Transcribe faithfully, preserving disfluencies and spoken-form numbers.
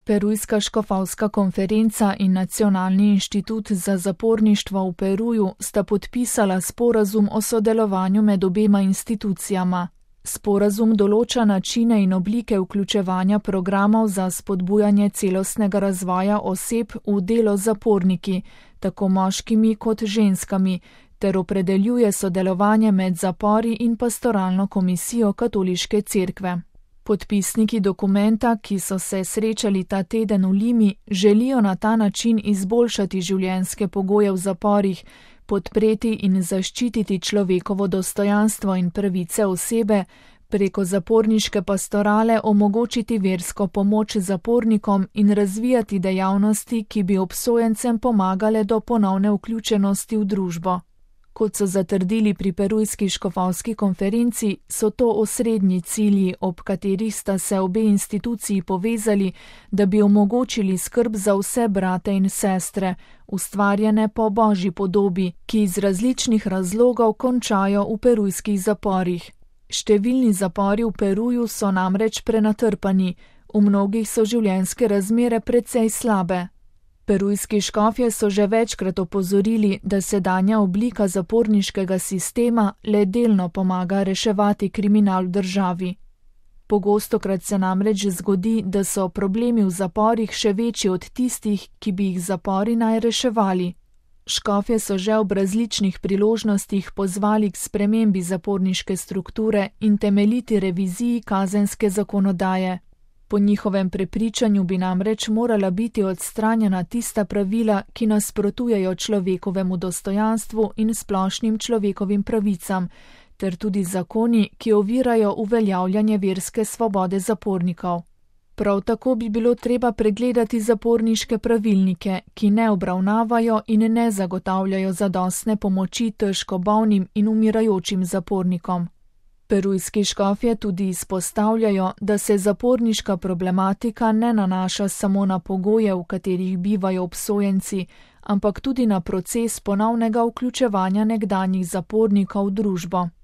Perujska škofovska konferenca in Nacionalni inštitut za zaporništvo v Peruju sta podpisala sporazum o sodelovanju med obema institucijama. Sporazum določa načine in oblike vključevanja programov za spodbujanje celostnega razvoja oseb v delo z zaporniki, tako moškimi kot ženskami, ter opredeljuje sodelovanje med zapori in pastoralno komisijo Katoliške cerkve. Podpisniki dokumenta, ki so se srečali ta teden v Limi, želijo na ta način izboljšati življenjske pogoje v zaporih, podpreti in zaščititi človekovo dostojanstvo in pravice osebe, preko zaporniške pastorale omogočiti versko pomoč zapornikom in razvijati dejavnosti, ki bi obsojencem pomagale do ponovne vključenosti v družbo. Kot so zatrdili pri Perujski škofovski konferenci, so to osrednji cilji, ob katerih sta se obe instituciji povezali, da bi omogočili skrb za vse brate in sestre, ustvarjene po Božji podobi, ki iz različnih razlogov končajo v perujskih zaporih. Številni zapori v Peruju so namreč prenatrpani, v mnogih so življenjske razmere precej slabe. Perujski škofje so že večkrat opozorili, da sedanja oblika zaporniškega sistema le delno pomaga reševati kriminal v državi. Pogostokrat se namreč zgodi, da so problemi v zaporih še večji od tistih, ki bi jih zapori naj reševali. Škofje so že ob različnih priložnostih pozvali k spremembi zaporniške strukture in temeljiti reviziji kazenske zakonodaje. Po njihovem prepričanju bi namreč morala biti odstranjena tista pravila, ki nasprotujejo človekovemu dostojanstvu in splošnim človekovim pravicam, ter tudi zakoni, ki ovirajo uveljavljanje verske svobode zapornikov. Prav tako bi bilo treba pregledati zaporniške pravilnike, ki ne obravnavajo in ne zagotavljajo zadostne pomoči težko bolnim in umirajočim zapornikom. Perujski škofje tudi izpostavljajo, da se zaporniška problematika ne nanaša samo na pogoje, v katerih bivajo obsojenci, ampak tudi na proces ponovnega vključevanja nekdanjih zapornikov v družbo.